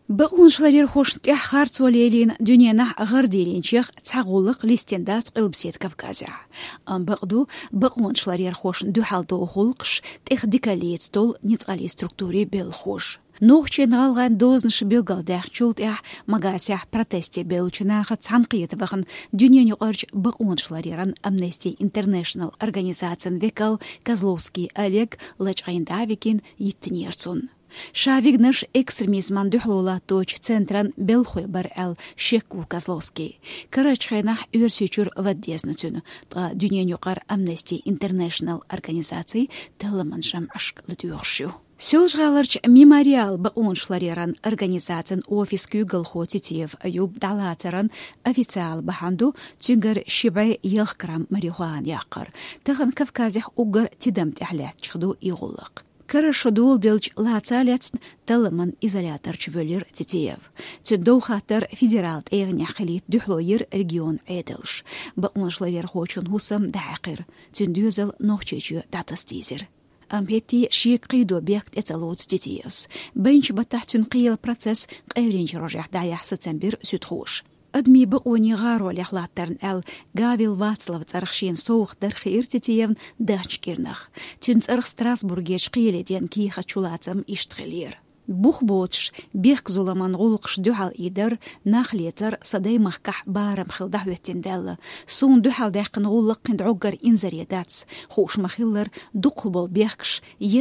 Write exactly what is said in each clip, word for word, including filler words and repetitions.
Бакъонашларъярхошна тӀехь харцо лелийна дуьненахь гӀардийлинчех цхьа гӀуллакх листина дац Къилбаседа Кавказехь. Амма бакъду, бакъонашларъярхошна дуьхьал догӀу гӀуллакхаш тӀех дикаллица долу ницкъаллин структурийн белхахоша. Нохчийн, гӀалгӀайн дозанаш билгалдаьхначул тӀаьхьа Магасехь протесте бевллачу нахаца цхьаьнакхета вахана дуьненаюкъарчу бакъонашларъяран Amnesty International организацин векал Козловский Олег лачкъийна дӀа а вигина, йиттинера цунна. Ша вигнарш экстремизман дуьхьало латточу центран белхахой бара аьлла шек ву Козловский. Карарчу хенахь Оьрсийчуьра вада дезна цуьнан, ткъа дуьненаюкъара Amnesty International организаци талламан жамӀашка ладоьгӀуш ю. Соьлжа-ГӀаларчу «Мемориал» бакъонашларъяран организацин офис куьйгалхо Титиев Аюб дӀалацаран официал бахьана ду цуьнгара ши бӀе ялх грамм марихуана яккхар. Тахана Кавказехь уггар тидам тӀехь лаьттачех ду и гӀуллакх. Карара шо доладелча лаца а лаьцна, талламан изоляторчу воьллира Титиев. Цуьнан дов хаттар федерал тӀегӀанехь хилийта дуьхьало йира регионан Ӏедалш. Бакъонашларъярхочун хӀусам дӀахьаькхира. Цуьнан доьзал Нохчийчоь дӀатаса дийзира. Амма хӀетте а шега кхийдо бехк тӀе ца лоцу Титиевс. Байначу баттахь цуьнан кхиялан процесс къевлинчу рожехь дӀаяхьа сацам бира суьдхоша. Адамийн бакъонийн гӀаролехь латтарна аьлла, Гавил Вацлаван цӀарах шена совгӀат дар хиира Титиевна даханчу кӀирнах. Цуьнан цӀарах Страсбургерчу кхеле деана кехат чулацам иштта хилира. Бух боцуш, бехк-зуламан гӀуллакхашна дуьхьал ийдар, нах лецар сан даймахкахь барам хилла дӀахӀоьттина даьлла. Суна дуьхьал даьккхина гӀуллакх кхин дӀоггара инзаре дац, хууш ма-хиллара, дукхах болу бехкаш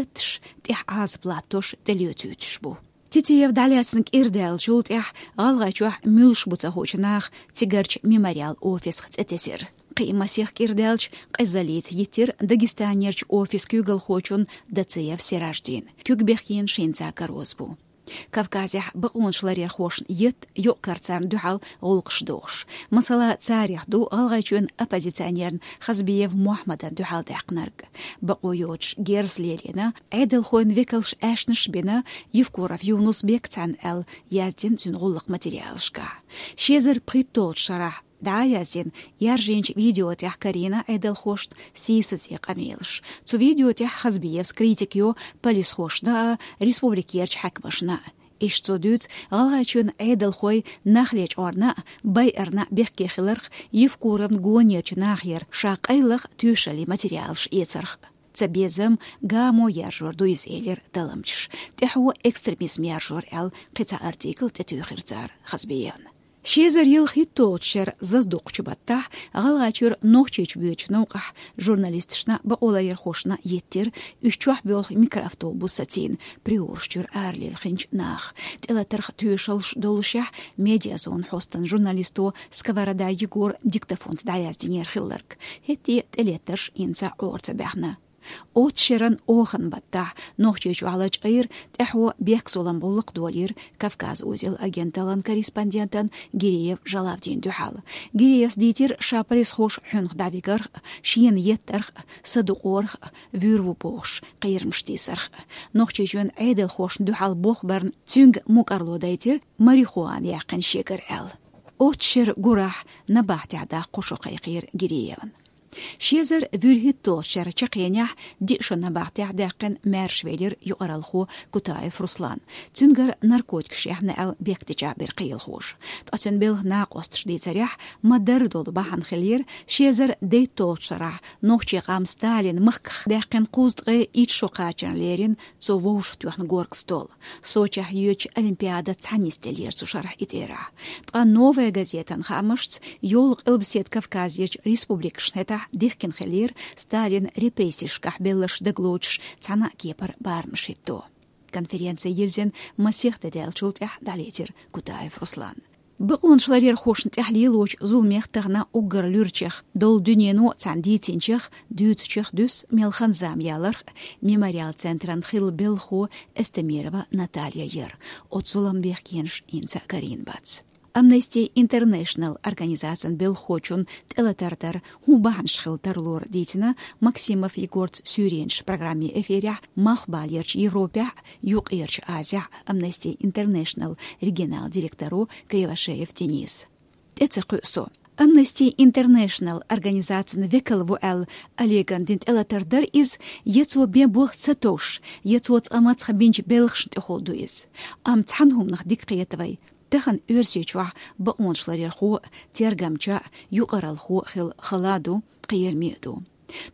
етташ, тӀехь Ӏазап латтош, тӀелоьцуьйтуш бу. Титиев дӀалаьцна кӀира даьллачул тӀаьхьа ГӀалгӀайчохь муьлш бу ца хуучу наха цигарчу «Мемориал» офисах цӀе тесира. Кхин а масех кӀира даьлча, къизаллица йиттира Дагестанерчу офис куьйгалхочун Дациев Сираждина. Куьг бехкенаш хӀинца кароза бу. Кавказехь бакъонашларъярхошна етта юкъ-кара царна дуьхьал гӀуллакхаш дохуш. Масала, царех ду ГӀалгӀайчоьнан оппозиционерна Хазбиев Мохьмадан дуьхьал даьккхинарг. Бакъо йоцуш герз лелийна, Ӏедалхойн векалш аьшнаш а бина, Евкуров Юнус-Бек цхьаьна аьлла, яздина цуьнан гӀуллакх материалашкахь. Ши эзар пхийтталгӀачу шарахь дӀа а яздина, яржийначу видео тӀехь карийна Ӏедалхошна сийсазе къамелаш. Цу видео тӀехь Хазбиевс критика йо полисхошна а, республикерчу хьаькамашна а. Иштта цо дуьйцу ГӀалгӀайчоьнан Ӏедалхой нах лечкъорна а, байарна а бехке хиларх, Евкуровна гонерчу нахера ша къайлаха тоьшаллин материалаш эцарх. Цабезам гамо яржор ду иза, элира талламчаша. ТӀаьхьо экстремизм яржор аьлла, кхин цхьа артикл тӀетуьйхира цара Хазбиевна. Ши эзар ялхитталгӀачу шеран зазадоккхучу баттахь ГӀалгӀайчуьра Нохчийчу боьдучу новкъахь журналисташна а, бакъоларъярхошна а йиттира уьш чохь боьлху микроавтобус сацийна, Приораш чуьра аралилхинчу наха. ТӀелатарх тоьшаллаш доллушехь, Медиазона хьостан журналисто Сковорода Егора диктофонца дӀаяздинера хилларг. ХӀетте а тӀелеттарш хӀинца Ӏора ца баьхна. Оццу шеран охан баттахь Нохчийчохь лачкъийра, тӀаьхьо бехк-зулам гӀуллакх долийра Кавказ узел агенталлан корреспондентан Гиреев Жалавдин дуьхьал. Гиреевс дийцира ша полисхоша хьуьнах дӀавигарх а, шена еттарх а, садукъорх а, вуьйр ву бохуш, кхерамаш тийсарх а. Нохчийчоьнан Ӏедалхошна дуьхьал болх барна цуьнга мукӀарло дайтира, марихуана яьккхина шегара аьлла. Оццу шеран гурахь набахтехь даккха кхо шо кхайкхийра Гиреевна. Ши эзар вуьрхӀитталгӀачу шеран чаккхенехь диъ шо набахтехь даьккхина маьршавелира юкъаралхо Кутаев Руслан. Цуьнгара наркотикаш яьхна аьлла бехктечахь бира кхелахоша. Ткъа цуьнан белхан накъосташа дийцарехь, ма-дарра долу бахьана хиллера ши эзар дейтталгӀачу шарахь нохчийн къам Сталинан махках даьккхина кхузткъе итт шо кхачарна лерина цо вовшахтоьхна горга стол. Сочехь йоьдучу Олимпиадаца цхьаьна нисделлера цу шарахь и тӀерахь. Ткъа «Новая газетан» хаамашца, йолу Къилбаседа Кавказерчу республикашна хӀетахь дихкина хиллера Сталинан репрессешкахь белларш дагалоцуш цхьана а кепара барамаш хӀитто. Конференци йирзина масех де даьллачул тӀаьхьа дӀалецира Кутаев Руслан. Бакъонашларъярхошна тӀехь лелочу зуламех тахана уггар луьрачех, долу дуьнено а царна дийцинчех, дуьйцучех дуьсу мел хан-зама яларх а, «Мемориал» центран хилла белхахо Эстемирова Наталья яра. Оцу зуламан бехкенаш хӀинца а карийна бац. Amnesty International организацин белхахочун тӀелатар дар хӀун бахьанаш хилла тарлора дийцина Максимов Егорца «Суьйренаш» программин эфирехь Малхбалерчу Европехь а, Юккъерчу Азехь а Amnesty International регионал директоро Кривошеев Дениса. ТӀе ца кхуьу со. Amnesty International организацин векал ву аьлла Олеган дина тӀелатар дара иза, я цо бен болх ца товш, я цо цкъа мацха бинчу белхашна тӀехула ду иза. Амма цхьана хӀуманах дика кхета вай: тахана Оьрсийчохь бакъонашларъярхо а, тергамча а, юкъаралхо а хила хала а ду, кхераме а ду.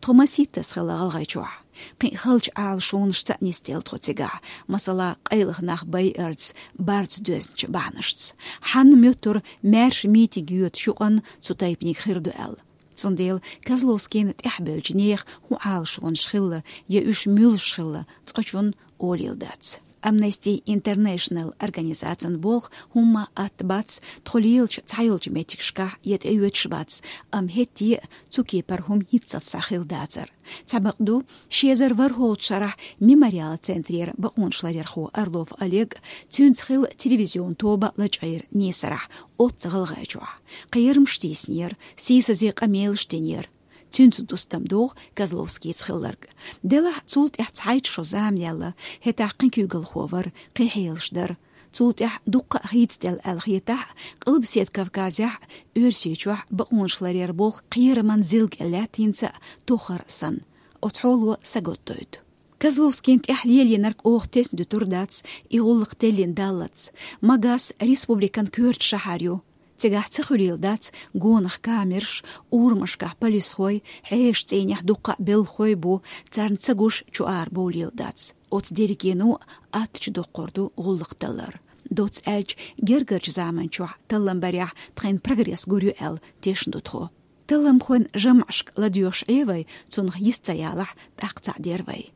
Тхо масийттаза хилла ГӀалгӀайчохь. Кхин а халчу Ӏалашонашца а нисделла тхо цигахь, масала, къайлаха нах байарца, барца доьзначу бахьанашца. Хьанна моьттура маьрша митинг йоьдуш юкъанна цу тайпаниг хир ду аьлла. Цундела Козловскийна тӀаьхьабевллачу нехан хӀун Ӏалашонаш хилла, я уьш муьлш хилла, цкъачунна олийла дац. Amnesty International организацин болх хӀумма а атта бац, тхо лелачу цхьайолчу меттигашкахь я тӀеоьцуш бац, амма хӀетте а цу кепара хӀума хӀинццалц схьа хилла дацара. Цхьа бакъ ду, ши эзар ворхӀалгӀачу шарахь Мемориал центрера бакъонашларъярхо Орлов Олег, цуьнца хилла телевизион тоба лачкъийра Несарахь, оццу ГӀалгӀайчохь. Кхерамаш тийсинера, сийсазе къамелаш динера. Цуьнца дустам догӀу Козловскийца хилларг. Делахь, цул тӀаьхьа цхьайтта шо зама яьлла, хӀетахь кхин куьйгалхо вара, кхин хьелаш дара. Цул тӀаьхьа дуккха а хийцаделла аьлла хетахь а, Къилбаседа Кавказехь а, Оьрсийчохь а бакъонашларъяран болх кхераман зилга лаьттинца а, тохар а санна. Оцу хьоло сагатдойту. Козловскийна тӀехь лелийнарг оха тесна дуьтур дац, и гӀуллакх теллина даллалц. Магас республикан коьрта шахьар ю. Цигахь ца хуьлийла дац гонах камераш, урамашкахь полисхой, хьешан цӀийнехь дуккха а белхахой бу, царна ца гуш чу-ара бовлийла дац. Оцу дерригено а аттачу доккхур ду гӀуллакх таллар. Доцца аьлча, гергарчу заманчохь таллам барехь тхайна прогресс гур ю аьлла тешна ду тхо. Талламхойн жамӀашка ладоьгӀуш Ӏе вай, цунах йист ца ялахь, тӀаккха цхьаъ дер вай.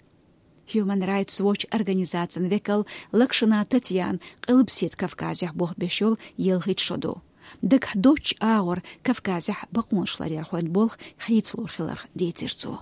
Human Rights Watch организацин векал Лакшина Татьяна Къилбаседа Кавказехь болх беш йолу ялхитта шо ду. Дагахь доцчу агӀор Кавказехь бакъонашларъярхойн болх хийцалур хиларх дийцира цо.